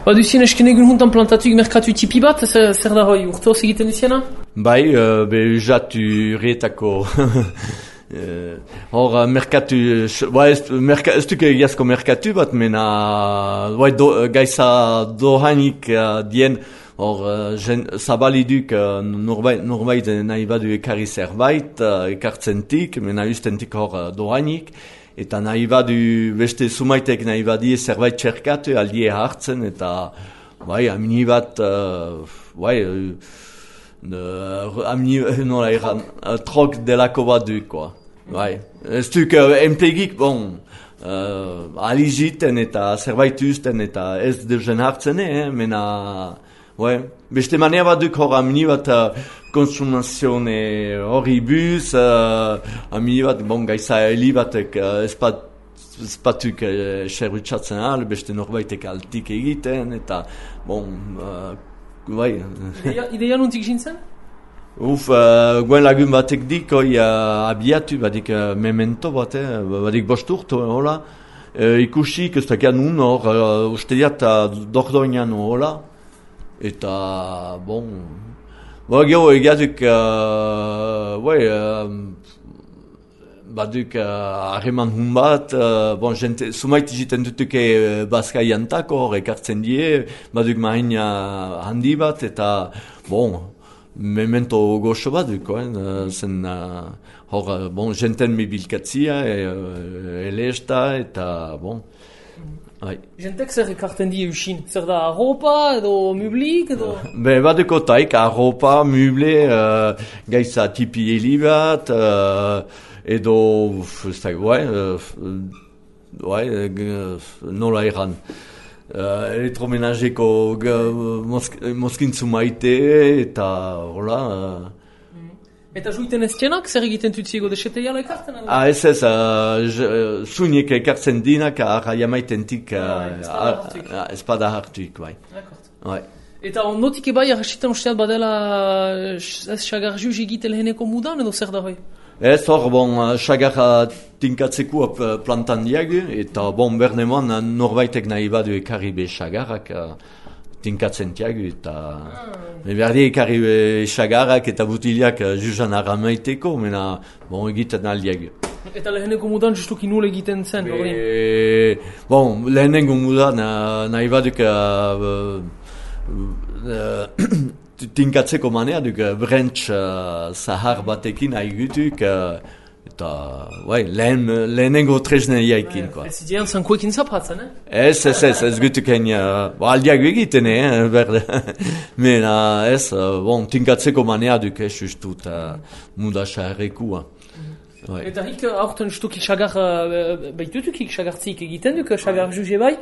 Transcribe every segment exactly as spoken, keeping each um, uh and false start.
Ba duzien esken egun juntan plantatuik merkatu tipi bat, zer, zer da hoi, urte hos egiten duziena? Bai, uh, be usatu rietako... Hor, uh, merkatu... Ba, ez, merka, ez duk egiazko merkatu bat, mena... Ba, do, gaiza dohanik uh, dien... Hor, uh, zabaliduk uh, norbait, norbait nahi badu ekarri zerbait, uh, ekartzentik, mena ustentik hor uh, dohanik. Eta nahi badu, beste sumaitek nahi badie zerbait txerkatu, aldie hartzen, eta, bai, amini bat, uh, bai, uh, amini, nola eran, uh, trok delako bat du, koa, bai. Ez duk, uh, enplegik, bon, uh, aligiten eta zerbait usten, eta ez dezen hartzen, eh, mena, bai, beste manea bat duk hor amini bat, uh, konsumazione horribus, uh, amini bat, bon, gaiza heli batek uh, espat, espatuk uh, xerrutsatzen ahal, beste norbaitek altik egiten, eta, bon, uh, bai. Ideia, ideia nuntik jintzen? Uf, uh, guen lagun batek dik, oi, uh, abiatu, badik uh, memento bat, eh, badik bost urto, hola, uh, ikusik, ez dakian nun hor, uh, uste diat, uh, dordoinan hola, eta, bon, Ba, gero egiatuk, uh, bai, uh, baduk harreman uh, hun bat, uh, bon, jente, sumait egiten dutuke uh, Baskaiantako, hor ekartzen die, baduk maina handi bat, eta, bon, memento goxo baduk, eh, zen, uh, hor, bon, jenten mebilkatzia, uh, elesta, eta, bon, bai. Jentek zer ekarten die usin? Zer da arropa edo mublik edo? Be, baduko taik, arropa, muble, uh, gaiza tipi heli bat, uh, edo, ez da, bai, bai, nola eran. Uh, elektromenageko mosk, moskintzu maite, eta, hola... Uh, Eta juiten ez txenak, zer egiten tutziego deseteiala ekartzen? Ah, ez ez, uh, zunik ekartzen dinak, arra jamaitentik uh, espada hartuik, bai. Bai. Eta ondotik ebai, arrasitan usteat badela ez xagar juz egitel heneko mudan edo zer da hoi? Ez hor, bon, xagarra tinkatzeko plantan diagu, eta bon, berneman norbaitek nahi badu ekarri be xagarrak, tinkatzen tiagu, eta ah. berdi ekarri xagarrak eta butiliak juzan aramaiteko, mena, bon, egiten aldiagu. Eta lehenengo mudan justuki nul egiten zen, hori? Bon, lehenengo mudan nahi baduk uh, uh, tinkatzeko manea duk brentz uh, zahar batekin haigutuk, uh, eta, bai, lehen, lehenengo tresne jaikin, koa. Ez idean zankoekin zapatzen, eh? Ez, ez, ez, ez gutuken, uh, aldiago egiten, eh, berde. Mena, ez, uh, bon, tinkatzeko manea duk, ez, justut, uh, muda xarrekua. Mm-hmm. Eta hik, aurten stukik xagar, uh, baitutukik xagartzik egiten duk, xagar juge bai?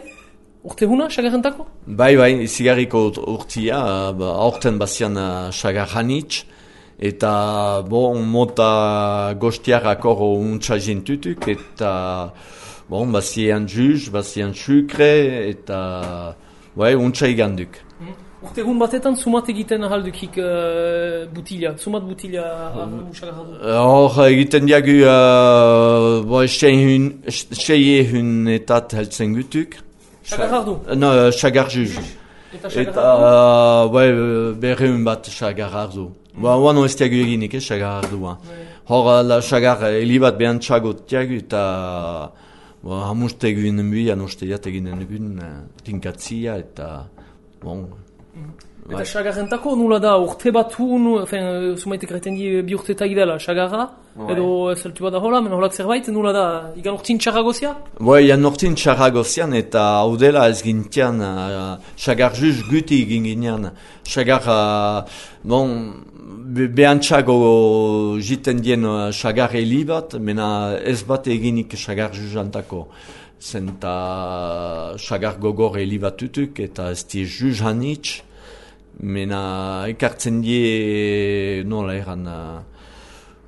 Urte huna, xagarrentako? Bai, bai, izigarriko urtia, uh, aurten bazian uh, xagar hanitz, eta bon, mota gostiarrak hor untsa jentutuk, eta bon, bazien juz, bazien sukre, eta bai, untsa iganduk. Mm. Urte egun batetan sumat egiten ahaldukik uh, butila, sumat butila usagarradu? Hor egiten diagu uh, bo, seie hunetat heltzen gutuk. Xagarradu? No, xagar juz. Eta xagarradu? Bai, berreun bat xagarradu. Ba, oan ez tiagu eginik, eh, xagarardua. Hor, la xagar helibat behan txagot tiagu, eta hamuste eginen buian, uste jat eginen egun, tinkatzia, eta, bon. Eta xagarrentako nula da, urte batu, sumaitek reiten di bi urte eta idela, xagarra, edo zeltu bada hola, men holak zerbait, nula da, igan urtin txarragozia? Bai, igan urtin txarragozian, eta hau dela ez gintian, xagar juz guti egin ginean, xagar, bon, behantxago jiten dien xagar heli bat, mena ez bat eginik xagar juzantako. Zenta xagar gogor heli bat tutuk, eta ez di juz hanitz, mena ekartzen die, nola eran,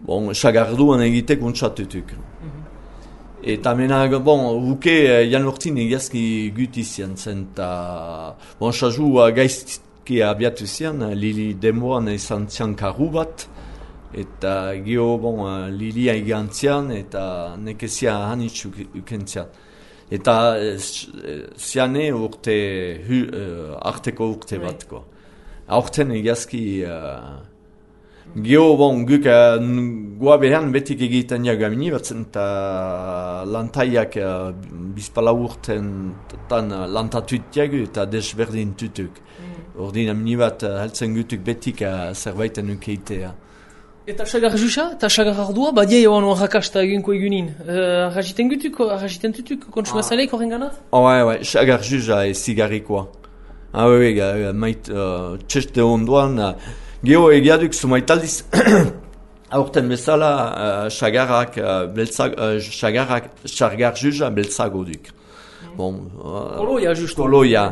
bon, xagar duan egitek untsatutuk. Mm-hmm. Eta mena, bon, uke jan urtin egiazki gutizian, zenta, bon, xazu gaizti, ki abiatu zian, Lili demoan izan zian karru bat, eta geho, bon, Lili aigantzian, eta nekezia hanitz ukentzian. Eta ziane urte, hu, uh, arteko urte Bai. bat, ko. Aurten egazki, uh, geho, bon, guk uh, goa behan betik egiten jagamini batzen, eta lantaiak uh, bizpala urten tan uh, lantatuit jagu eta desberdin tutuk. Mm. Ordin amini bat uh, heltzen gutuk betik uh, zerbaiten ukeitea. Eta sagar juxa, eta sagar ardua, badia joan rakasta egunko egunin. Uh, Arrajiten gutuk, arrajiten tutuk, kontsumazaleik horren ganat? Oh, ouais, ouais, sagar juxa e zigarrikoa. Ah, oui, oui, uh, mait, uh, txeste ondoan, uh, geho egiaduk sumaitaldiz, aurten bezala, uh, sagarrak, uh, beltzag, uh, sagarrak, sagar juxa beltzago duk. Mm. Bon, uh, Koloia, justu. Koloia.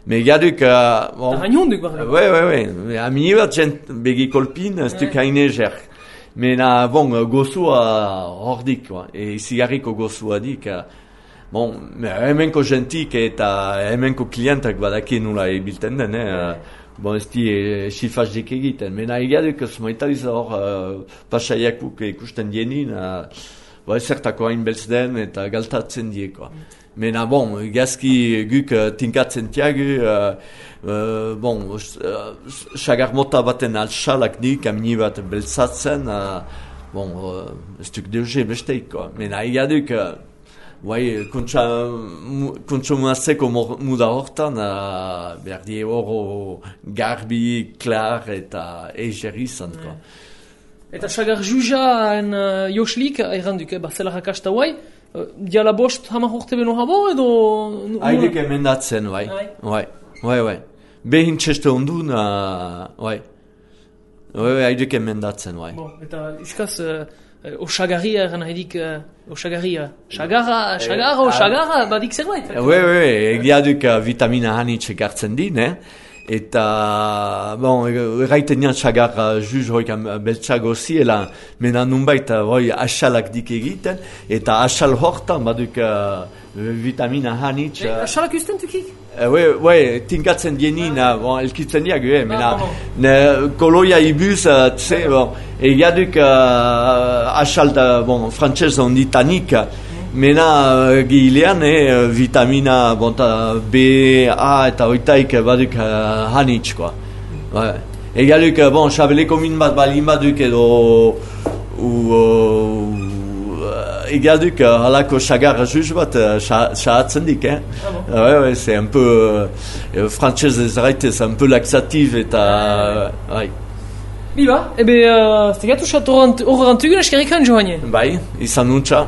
Me egiaduk... Uh, bon, Arrañon duk, barra. Ouais, ouais, ouais. Amini bat jent begi kolpin, ez duk haine jerk. Mena, bon, gozua hordik, quoi. E zigarriko gozua dik. Uh, bon, hemenko jentik eta hemenko klientak badaki nula ebilten den, eh? Bon, ez di e, xifazdik egiten. Mena egiaduk smaitaliz hor uh, pasaiakuk ikusten dienin, uh, ba, ezertako hain beltz den eta galtatzen dieko. Mena, bon, gazki guk uh, tinkatzen tiagu, uh, uh, bon, sagar uh, mota baten altsalak dik, amini bat beltzatzen, uh, bon, uh, ez duk deuge besteiko. Mena egiaduk, uh, bai, kontsumazeko muda hortan, uh, behar die horo garbi, klar eta eiger izan. Mm. Eta sagar jujaen uh, joslik, erranduk, eh, bazela rakasta guai, uh, diala bost hamar urte beno habo edo... Haidek emendatzen, bai. Bai, bai, bai. Behin txeste ondun, uh, bai. Bai, haidek emendatzen, bai. Bon, eta iskaz... Uh, Osagarria eran haidik, uh, osagarria. Sagarra, sagarra, osagarra, badik zerbait. Oui, oui, egiaduk uh, vitamina hanitxek hartzen din, eh? Eta, bon, erraiten nian sagarra juz hoik beltsago ziela, mena nunbait hoi asalak dik egiten, eta asal hortan baduk uh, vitamina hanitx. Uh, asalak usten tukik? Oui, uh, oui, tinkatzen dienin, uh, bon, elkitzen diag, eh, mena, ah, ne, koloia ibuz, uh, tse, bon, egiaduk uh, asal, bon, frantzez onditanik, mena uh, gilean, eh, vitamina, bon, B, A eta oitaik baduk uh, hanitx, koa. Ouais. Egiaduk, uh, bon, xabeleko min bat balin baduk edo, u, uh, egiaduk uh, halako sagar juz bat xahatzen dik, eh? Ah bon? Ouais, ouais, c'est un peu, uh, frantzez ezraitez, un peu laxatif eta, uh, ouais. Biba, ebe, uh, stegatu xat horrentugun eskerrikan joanien. Bai, izan nuntza.